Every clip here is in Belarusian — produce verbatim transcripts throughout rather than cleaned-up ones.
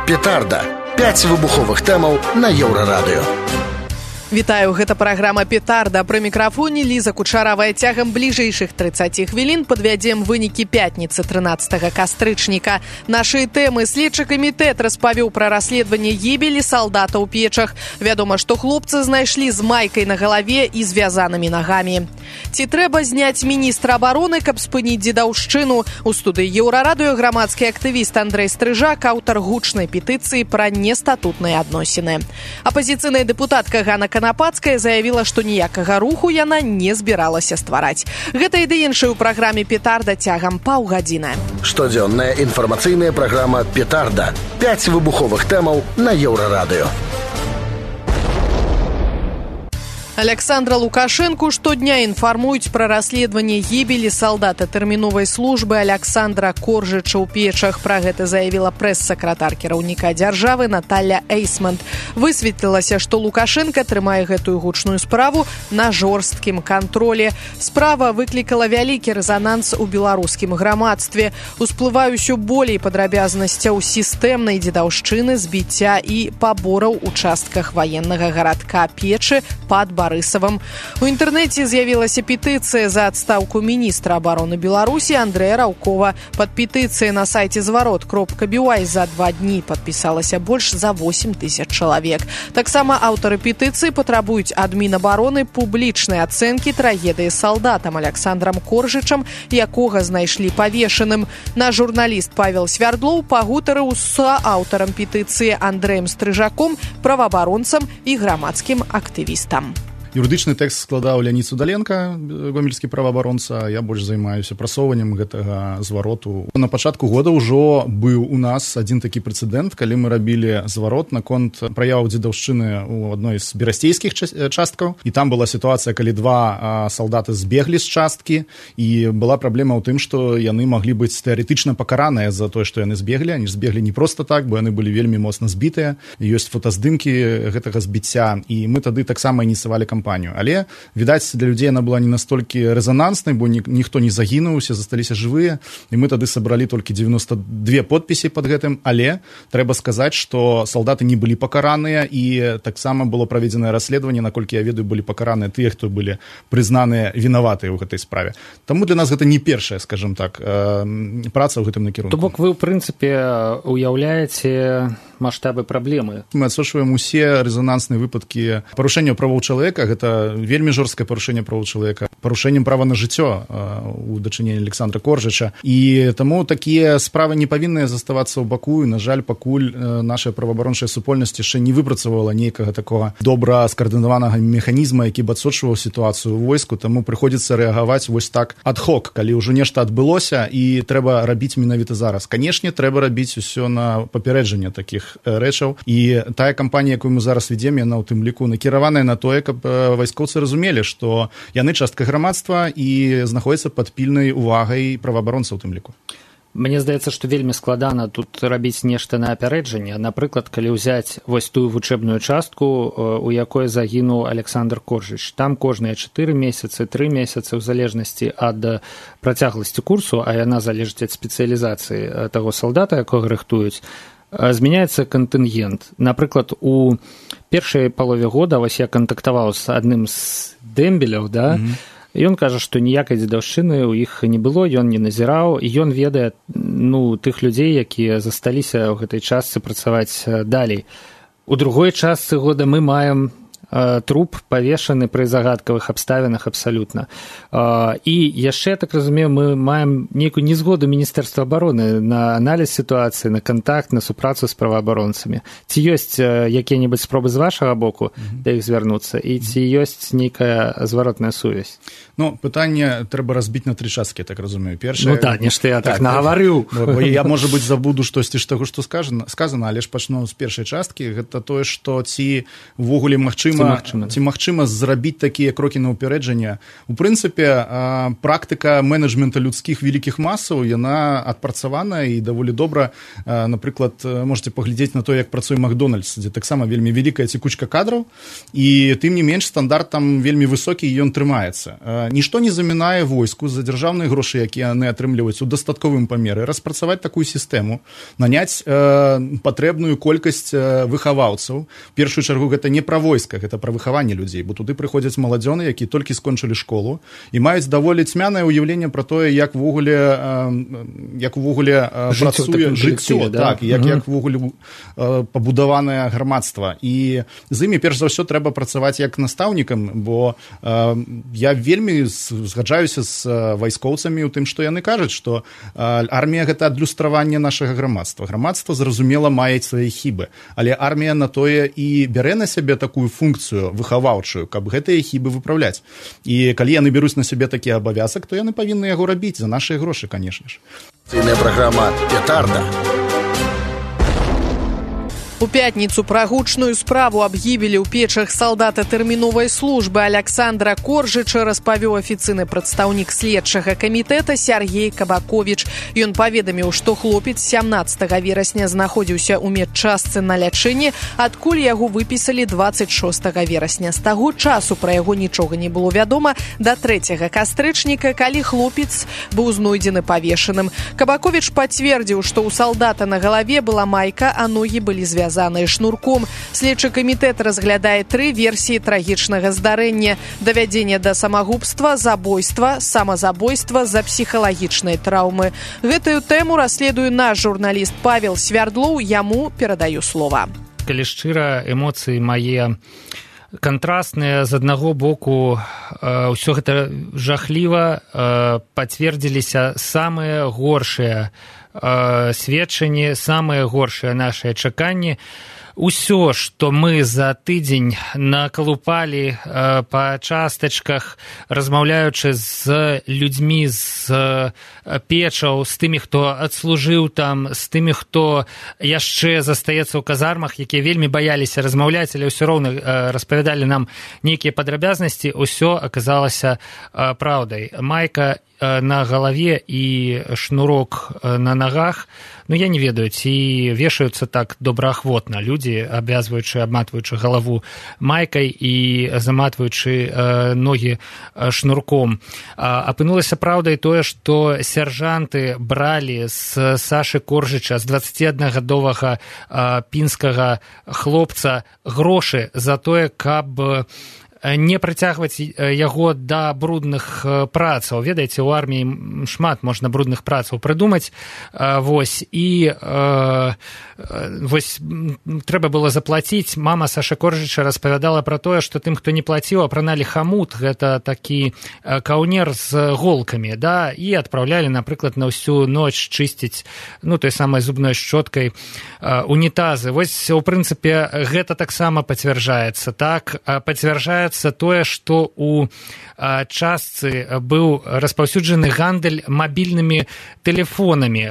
Петарда. пяць выбуховых тэмаў на Еўрарадыё. Вітаю, гэта праграма «Петарда». Пры мікрафоне Ліза Кучаравая. Цягам бліжэйшых трыццаці хвілін падвядзем вынікі пятніцы трынаццатага кастрычніка. Нашы тэмы. Следчы камітэт распавёў пра расследаванне гібелі салдата ў Печах. Вядома, што хлопцы знайшлі з майкай на галаве і звязанымі нагамі. Ці трэба зняць міністра абароны, каб спыніць дзедаўшчыну? У студыі Еўрарадыё грамадскі актывіст Андрэй Стрыжак, аўтар гучнай петыцыі пра нестатутныя адносіны. Апазіцыйная дэпутатка Ганна Канапацкая заявіла, што ніякага руху яна не збіралася ствараць. Гэта і ды іншае ў праграме «Петарда» цягам паўгадзіны. Штодзённая інфармацыйная праграма «Петарда». пяць выбуховых тэмаў на Еўрарадыё. Александра Лукашенку штодня інфармуюць пра расследаванне гібелі салдата тэрміновай службы Александра Коржыча ў Печах. Пра гэта заявіла прэс-сакратар кіраўніка дзяржавы Наталля Эйсмонт. Высветлілася, што Лукашенка трымае гэтую гучную справу на жорсткім кантролі. Справа выклікала вялікі рэзананс у беларускім грамадстве. Усплывае ўсё болей падрабязнасцяў сістэмнай дзедаўшчыны, збіцця і пабораў у частках ваеннага гарадка Печы пад Барысавым. У інтэрнэце з'явілася петыцыя за адстаўку міністра абароны Беларусі Андрэя Раўкова. Пад петыцыяй на сайце зварот кропка би уай за два дні падпісалася больш за восем тысяч чалавек. Таксама аўтары петыцыі патрабуюць ад Мінабароны публічнай ацэнкі трагедыі з салдатам Александрам Коржычам, якога знайшлі павешаным. Наш журналіст Павел Свярдлоў пагутарыў з аўтарам петыцыі Андрэем Стрыжаком, праваабаронцам і грамадскім актывістам. Юрыдычны тэкст складаў Леонід Судаленко, гомельскі праваабаронца. Я больш займаюся прасоўваннем гэтага звароту. На пачатку года ўжо быў у нас адзін такі прэцэдэнт, калі мы рабілі зварот наконт праяваў дзедаўшчыны ў адной з берасцейскіх часткаў. І там была сітуацыя, калі два салдаты збеглі з часткі, і была праблема ў тым, што яны маглі быць тэарэтычна пакараныя за тое, што яны збеглі. Они збеглі не проста так, бо яны былі вельмі моцна збітыя. Ёсць фотаздымкі гэтага збіцця, і мы тады таксама ініцыявалі кампанію. Але, відаць, для людзей она была не настолькі рэзананснай, бо ні, ніхто не загінуў, усе засталіся жывыя, і мы тады сабралі толькі дзевяносто две подпіси пад гэтым, але трэба сказаць, што салдаты не былі пакараныя, і таксама было праведзенае расследаванне, наколькі я ведаю, былі пакараныя тыя, хто былі прызнаныя вінаватыя ў гэтай справе. Таму для нас гэта не першая, скажем так, праца ў гэтым накірунку. То бок вы, ў прынцыпе, уяўляеце маштабы праблемы. Мы адсочваем усе рэзанансныя выпадкі парушэння правоў чалавека. Гэта вельмі жорсткае парушэнне правоў чалавека, парушэннем права на жыццё у дачыненні Александра Коржыча. І таму такія справы не павінны заставацца ў баку. І, на жаль, пакуль наша праваабарончая супольнасць яшчэ не выпрацавала нейкага такога добра скаардынаванага механізма, які б адсочваў сітуацыю ў войску, таму прыходзіцца рэагаваць вось так ад-хок, калі ўжо нешта адбылося і трэба рабіць менавіта зараз. Канешне, трэба рабіць усё на папярэджанне такіх рэчаў. І тая кампанія, якую мы зараз ведзем, яна ў тым ліку накіраваная на тое, каб вайскоўцы разумелі, што яны частка грамадства і знаходзяцца пад пільнай увагай праваабаронцаў у тым ліку. Мне здаецца, што вельмі складана тут рабіць нешта на апярэджанне. Напрыклад, калі ўзяць вось тую вучэбную частку, у якой загінуў Александр Коржыч. Там кожныя чатыры месяцы, тры месяцы, у залежнасці ад працягласці курсу, а яна залежыць ад спецыялізацыі таго салдата, якога рыхтуюць, змяняецца кантынгент. Напрыклад, у першай палове года вось я кантактаваў з адным з дэмбеляў, да, mm-hmm. Ён кажа, што ніякай дзедаўшчыны ў іх не было, ён не назіраў, і ён ведае, ну, тых людзей, якія засталіся ў гэтай частцы працаваць далей. У другой частцы года мы маем труп павешаны пры загадкавых абставінах абсалютна. І яшчэ, так разумею, мы маем нейкую незгоду Міністэрства абароны на аналіз сітуацыі, на кантакт, на супрацу з праваабаронцамі. Ці ёсць якія-небудзь спробы з вашага боку да іх звярнуцца, і ці ёсць нейкая зваротная сувязь? Ну, пытанне трэба разбіць на тры часткі, так разумею. Першае... Ну так, нешта я так, так нагаварыў. Бо я, можа быць, забуду штосьці з таго, што сказана, але ж пачну з першай часткі. Гэта тое, што ці ўвогуле магчыма магчыма, ці магчыма зрабіць такія крокі на ўперэджанне. У прынцыпе, практыка менеджмента людскіх вялікіх масаў, яна адпрацавана і даволі добра. Напрыклад, можете паглядзець на то, як працуе Макдональдс, дзе таксама вельмі вялікая цікучка кадраў, і тым не менш стандарт там вельмі высокі, і ён трымаецца. Нішто не замінае войску за дзяржаўныя грошы, якія яны атрымліваюць у дастатковым памеры, распрацаваць такую сістэму, наняць э, патрэбную колькасць э, выхаваўцаў. В першую чаргу гэта не пра войска, гэта пра выхаванне людзей, бо туды прыходзяць маладзёны, якія толькі скончылі школу і маюць даволі цьмянае ўяўленне пра тое, як увогуле э, як увогуле э, працуе жыццё, да? Так, як, угу. як увогуле э, пабудаванае грамадства. І з імі перш за ўсё трэба працаваць як настаўнікам, бо э, я вельмі згаджаюся з вайскоўцамі ў тым, што яны кажуць, што э, армія гэта адлюстраванне нашага грамадства. Грамадства, зразумела, мае свае хібы, але армія на тое і бярэ на сябе такую функцыю выхаваўчую, каб гэтыя хібы выпраўляць. І калі яны бяруць на сябе такі абавязак, то яны павінны яго рабіць за нашыя грошы, канешне ж. Цельная праграма «Петарда». У пятніцу пра гучную справу аб гібелі ў печах салдата тэрміновай службы Александра Коржыча распавёў афіцыйны прадстаўнік следчага камітэта Сергей Кабаковіч. Ён паведаміў, што хлопец сямнаццатага верасня знаходзіўся ў медчастцы на лячэнні, адкуль яго выпісалі дваццаць шостага верасня. З таго часу пра яго нічога не было вядома да трэцяга кастрычніка, калі хлопец быў знойдзены павешаным. Кабаковіч пацвердзіў, што ў салдата на галаве была майка, а ногі былі звязаны звязаныя шнурком. Следчы камітэт разглядае тры версіі трагічнага здарэння: давядзення да самагубства, забойства, самазабойства з-за псіхалагічнай траўмы. Гэтую тэму расследуе наш журналіст Павел Свярдлоў, яму перадаю слова. Калі шчыра, эмоцыі мае кантрастныя. З аднаго боку, ўсё гэта жахліва, пацвердзіліся самыя горшыя сведчанні, самыя горшыя нашыя чаканні. Усё, што мы за тыдзень накалупалі э, па частачках, размаўляючы з людзьмі з печаў, з тымі, хто адслужыў там, з тымі, хто яшчэ застаецца ў казармах, якія вельмі баяліся размаўляць, але ўсё роўна э, распавядалі нам нейкія падрабязнасці, усё аказалася э, праўдай. Майка э, на галаве і шнурок э, на нагах, ну, я не ведаю, ці вешаюцца так добраахвотна людзі, абвязваючы, абматваючы галаву майкай і заматваючы э, ногі э, шнурком. А, апынулася праўдай тое, што сяржанты бралі з Сашы Коржыча, з дваццаціаднагадовага э, пінскага хлопца, грошы за тое, каб не прыцягваць яго да брудных працаў. Ведаеце, у арміі шмат можна брудных працаў прыдумаць. Вось, і э, вось трэба было заплаціць. Мама Саша Коржыча распавядала пра тое, што тым, хто не плаціў, апраналі хамут, гэта такі каўнер з голкамі, да, і адпраўлялі, напрыклад, на ўсю ноч чысціць, ну, той самай зубной шчоткай унітазы. Вось, у прынцыпе, гэта таксама пацвярджаецца. Так, пацвярджаецца тое, што у частцы быў распаўсюджаны гандаль мабільнымі тэлефонамі,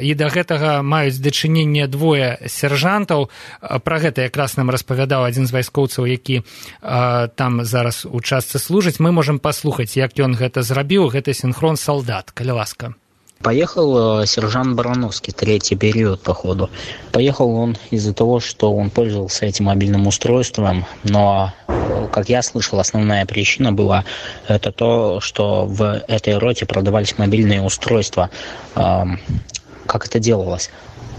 і да гэтага маюць дачыненне двое сяржантаў. Пра гэта якраз нам распавядаў адзін з вайскоўцаў, які там зараз у частцы служыць. Мы можам паслухаць, як ён гэта зрабіў. Гэта синхрон солдат. Калі ласка. Поехал сержант Барановский, третий период, походу. Поехал он из-за того, что он пользовался этим мобильным устройством, но, как я слышал, основная причина была это то, что в этой роте продавались мобильные устройства. Как это делалось?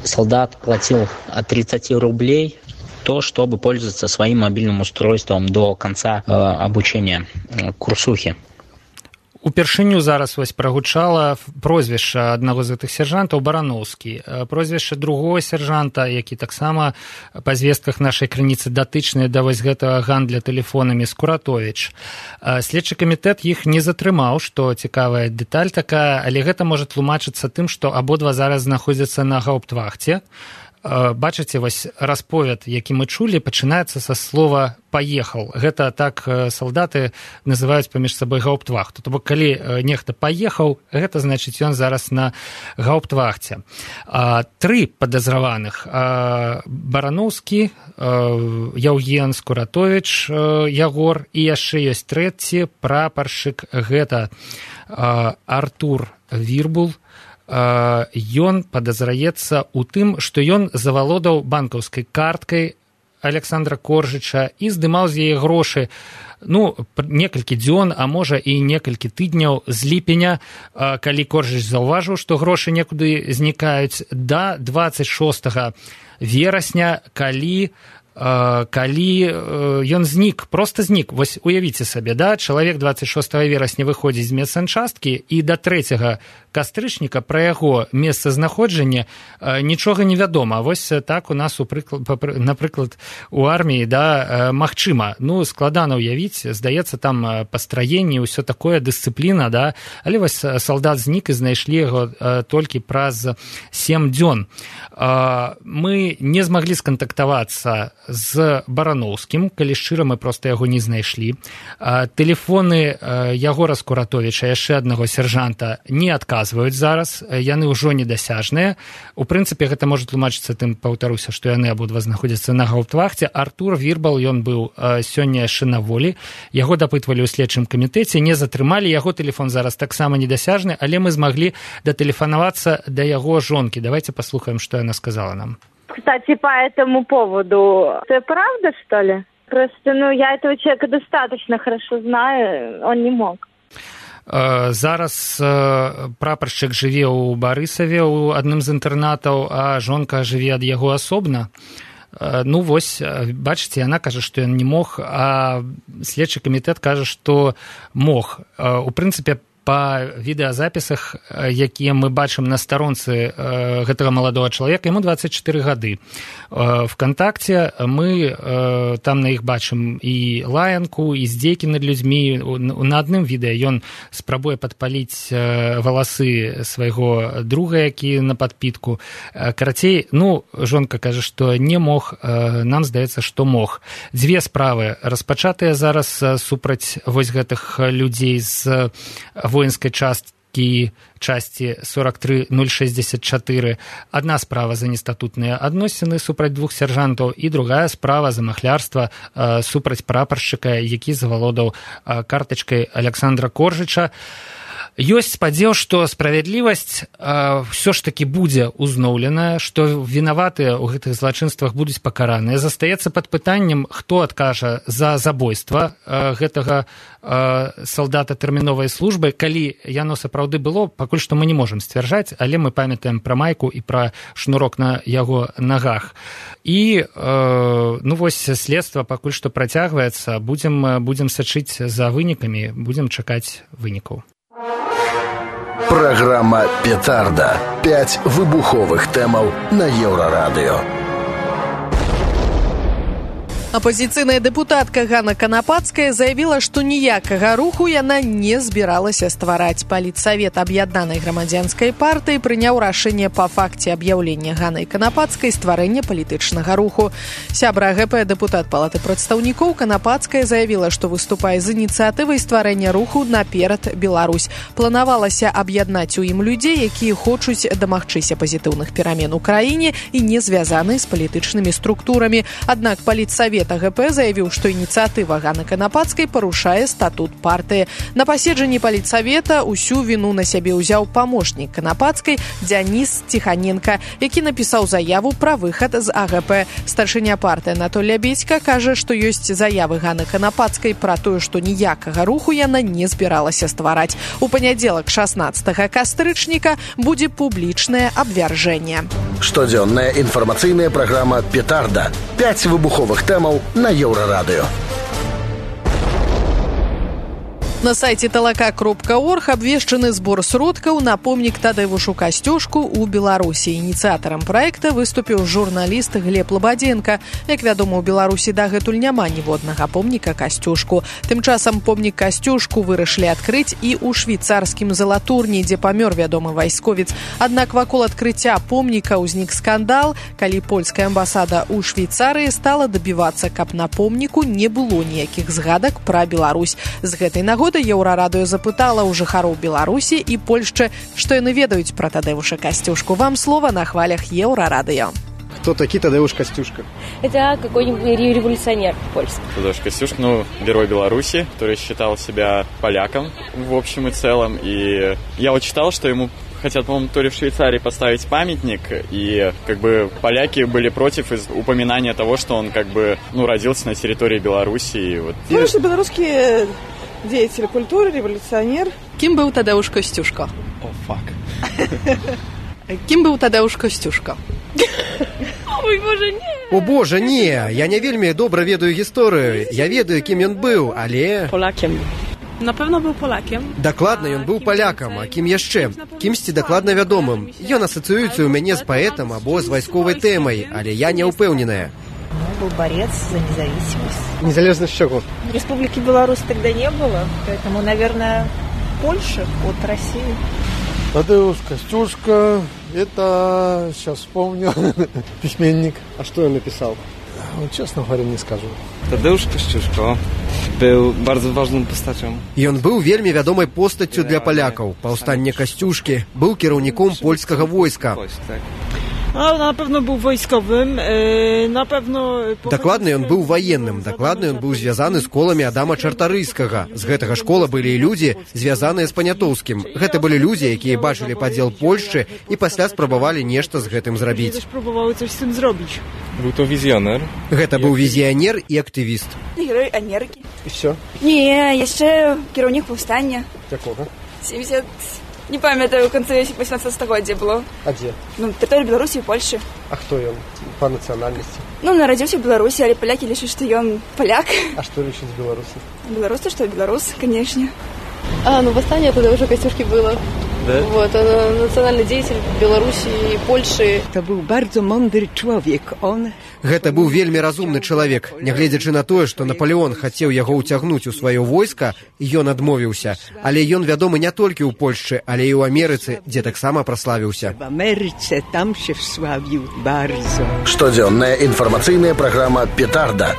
Солдат платил от тридцати рублей то, чтобы пользоваться своим мобильным устройством до конца обучения курсухи. Упершыню зараз вось прагучала прозвішча аднаго з гэтых сержантаў Барановскі. Прозвішча другого сержанта, які таксама па звестках нашай крыніцы датычныя да вось гэтага гандля тэлефонамі, Скуратовіч. Следчы камітэт іх не затрымаў, што цікавая дэталь такая, але гэта можа тлумачыцца тым, што абодва зараз знаходзяцца на гауптвахце. Бачыце, вось расповед, які мы чулі, пачынаецца са слова «паехал». Гэта так салдаты называюць паміж сабой гауптвахту. То бок, калі нехта паехаў, гэта значыць, ён зараз на гауптвахце. Тры падазраваных. Барановскі, Яўген Скуратовіч, Ягор, і яшчэ ёсць трэці прапаршчык, гэта Артур Вірбул. Ён падазраецца ў тым, што ён завалодаў банкаўскай карткай Александра Коржыча і здымаў з яе грошы, ну, некалькі дзён, а можа і некалькі тыдняў з ліпеня, калі Коржыч заўважыў, што грошы некуды знікаюць, да дваццаць шостага верасня, калі калі ён знік, проста знік. Вось уявіце сабе, да, чалавек дваццаць шостага верасня выходзіць з медсанчасткі, і да трэцяга кастрычніка пра яго месцазнаходжання нічога не вядома. Вось так у нас, напрыклад, у арміі, да, магчыма. Ну, складана ўявіць, здаецца, там пастраенне, ўсё такое, дысцыпліна, да, але вось салдат знік і знайшлі яго толькі праз сем дзён. Мы не змаглі скантактавацца з Барановскім, калі шчыра, мы проста яго не знайшлі. Тэлефоны Ягора Скуратовіча, яшчэ аднаго сержанта, не адказваюць зараз, яны ўжо недасяжныя. У прынцыпе, гэта можа тлумачыцца тым, паўтаруся, што яны абодва знаходзяцца на гауптвахце. Артур Вірбал, ён быў сёння яшчэ на волі, яго дапытвалі ў следчым камітэце, не затрымалі, яго тэлефон зараз таксама недасяжны, але мы змаглі датэлефанавацца да яго жонкі. Давайте паслухаем, што яна сказала нам. Кстати, по этому поводу, это правда, что ли? Просто, ну, я этого человека достаточно хорошо знаю, он не мог. Зараз прапаршчык жыве ў Барысаве, у адным з інтэрнатаў, а жонка жыве ад яго асобна. Ну, вось, бачыце, яна кажа, што ён не мог, а следчы камітэт кажа, што мог. У прынцыпе, па відэазапісах, якія мы бачым на старонцы гэтага маладога чалавека, яму дваццаць чатыры гады. ВКонтакце мы там на іх бачым і лаянку, і здзекі над людзьмі. На адным відэа ён спрабуе падпаліць валасы свайго друга, які на падпітку. Карацей, ну, жонка кажа, што не мог, нам здаецца, што мог. Дзве справы распачатыя зараз супраць вось гэтых людзей з воинской частки, части сорок три ноль шестьдесят четыре. Одна справа за нестатутные адносіны супраць двух сержантаў, і другая справа за махлярства э, супраць прапаршчыка, які завалодаў э, картачкай Александра Коржыча. Ёсць спадзеў, што справядлівасць э, ўсё ж такі будзе узноўленая, што вінаватыя ў гэтых злачынствах будуць пакараныя. Застаецца пад пытаннем, хто адкажа за забойства э, гэтага э, салдата тэрміновай службы. Калі яно сапраўды было, пакуль што мы не можам сцвярджаць, але мы памятаем пра майку і пра шнурок на яго нагах. І, э, ну вось, следства пакуль што працягваецца. Будзем, будзем сачыць за вынікамі, будзем чакаць вынікаў. Программа «Петарда». Пять выбуховых тэмаў на Еўрарадыё. Апозіцыйная дэпутатка Ганна Канапацкая заявіла, што ніякага руху яна не збіралася ствараць. Палітсавет аб'яднанай грамадзянскай партыі прыняў рашэнне па факце аб'яўлення Ганнай Канапацкай стварэння палітычнага руху. Сябра ГП, дэпутат Палаты прадстаўнікоў, Канапацкая заявіла, што выступае з ініцыятывай стварэння руху «Наперад Беларусь». Планавалася аб'яднаць у ім людзей, якія хочуць дамагчыся пазітыўных перамен у краіне і не звязаны з палітычнымі структурамі. Аднак палітсавет ГП заявіў, што ініцыятыва Ганны Канапацкай парушае статут партыі. На паседжанні палітсавета ўсю віну на сябе ўзяў памочнік Канапацкай Дзяніс Ціханенка, які напісаў заяву пра выхад з АГП. Старшыня партыі Анатоль Лябедзька кажа, што ёсць заявы Ганны Канапацкай пра тое, што ніякага руху яна не збіралася ствараць. У панядзелак шаснаццатага кастрычніка будзе публічнае абвяржэнне. Штодзённая інфармацыйная праграма «Петарда». Пять выбуховых тэмаў на Еўрарадыё. На сайце талака кропка орг абвешчаны збор сродкаў на помнік Тадеушу Касцюшку ў Беларусі. Ініцыятарам праекта выступіў журналіст Глеб Лабадзенко. Як вядома, у Беларусі дагэтуль няма ніводнага помніка Касцюшку. Тым часам помнік Касцюшку вырашылі адкрыць і ў швейцарскім Залатурні, дзе памёр вядомы вайсковец. Аднак вакол адкрыцця помніка ўзнік скандал, калі польская амбасада ў Швейцарыі стала дабівацца, каб на помніку не было ніякіх згадак пра Беларусь. З гэтай нагоды Еўрарадыё запытала ў жыхароў Беларусі і Польшчы, што яны ведаюць пра Тадеуша Касцюшку. Вам слова на хвалях Еўрарадыё. Кто такие Тадеуш Костюшка? Это какой-нибудь революционер польский. Тадеуш Костюшка, ну, герой Беларуси, который считал себя поляком в общем и целом. И я вот читал, что ему хотят, по-моему, то ли в Швейцарии поставить памятник, и как бы поляки были против из упоминания того, что он как бы, ну, родился на территории Беларуси. И вот... Ну, что белорусские деятель культуры, революционер. Кім быў Тадеуш Костюшка? О, фак. Кім быў Тадеуш Костюшка? Ой, боже, не. О, боже, не. Я не вельмі добра ведаю гісторыю. Я ведаю, кім ён быў, але... Полакем. Напэўна, быў полакем. Дакладна, ён быў палякам, а кім яшчэ? Кімсьці дакладна вядомым. Ён асацыюецца ў мяне з паэтам або з вайсковай тэмай, але я не ўпэўненая. Он был борец за независимость. Незалежность чего? Республики Беларусь тогда не было, поэтому, наверное, Польша от России. Тадеуш Костюшка, это, сейчас вспомню, письменник. А что он написал? Вот, честно говоря, не скажу. Тадеуш Костюшка był bardzo ważną postacią. Ён быў вельмі вядомай постаццю для палякаў. Паўстанне Касцюшкі, быў кіраўніком польскага войска. А, на pewno był wojskowym, yy, na pewno... Дакладна ён быў ваенным, дакладна ён быў звязаны з коламі Адама Чартарыйскага. З гэтага школа былі і людзі, звязаныя з Панятоўскім. Гэта былі людзі, якія бачылі падзел Польшчы і пасля спрабавалі нешта з гэтым зрабіць. Спрабавалі coś z tym zrobić. Był to wizjoner. Гэта быў візіянер і актывіст. Герой Америки. І все? Не, яшчэ кіраўнік паўстання. Якога? семьдесят... Не памятаю, в конце восемнадцатого стагоддзя было. А дзе? Ну, тэрыторыя Беларусі і Польшчы. А хто ён па нацыянальнасці? Ну, нарадзіўся ў Беларусі, але палякі лічаць, што ён паляк. А што лічаць беларусы? Беларусы, што беларус, конечно. А, ну, восстание тогда уже Костюшки было. Да? Вот, он национальный деятель Беларуси и Польши. Это был bardzo mądry człowiek. Он... Гэта быў вельмі разумны чалавек. Нягледзячы на тое, што Наполеон хацеў яго ўцягнуць у сваё войска, ён адмовіўся. Але ён вядомы не толькі ў Польшчы, але і ў Амерыцы, дзе таксама праславіўся. В Амерыцы там się wsławił bardzo. Штодзённая інфармацыйная праграма «Петарда».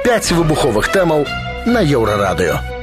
Пяць выбуховых тэмаў на Еўрарадыё.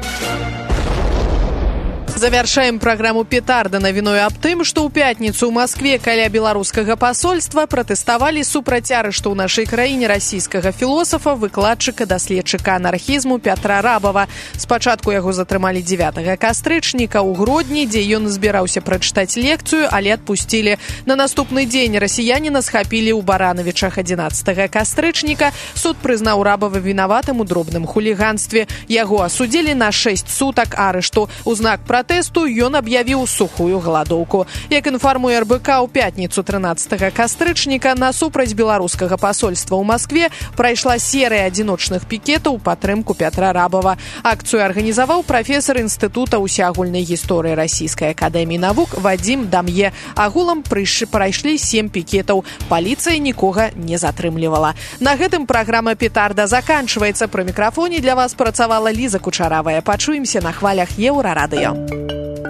Завяршаем праграму «Петарда» навіною аб тым, што ў пятніцу ў Маскве каля беларускага пасольства пратэставалі супраць арышту ў нашай краіне расійскага філосафа, выкладчыка, даследчыка анархізму Пятра Рабава. Спачатку яго затрымалі дзевятага кастрычніка ў Гродні, дзе ён збіраўся прачытаць лекцыю, але адпусцілі. На наступны дзень расіяніна схапілі ў Баранавічах адзінаццатага кастрычніка. Суд прызнаў Рабава вінаватым у дробным хуліганстве. Яго асудзілі на шэсць сутак арышту. У знак пратэсту Тэсту ён аб'явіў сухую галадоўку. Як інфармуе эр бэ ка, у пятніцу трынаццатага кастрычніка насупраць беларускага пасольства ў Маскве прайшла серыя адзіночных пікетаў у падтрымку Пятра Рабава. Акцыю арганізаваў прафесар інстытута ўсеагульнай гісторыі расійскай акадэміі навук Вадзім Дам'е. Агулам прайшлі сем пікетаў. Паліцыя нікога не затрымлівала. На гэтым праграма «Петарда» заканчваецца. Пры мікрафоне для вас працавала Ліза Кучаравая. Пачуемся на хвалях Еўрарадыё.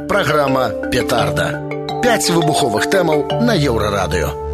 Программа «Петарда». Пять выбуховых тэмаў на Еўрарадыё.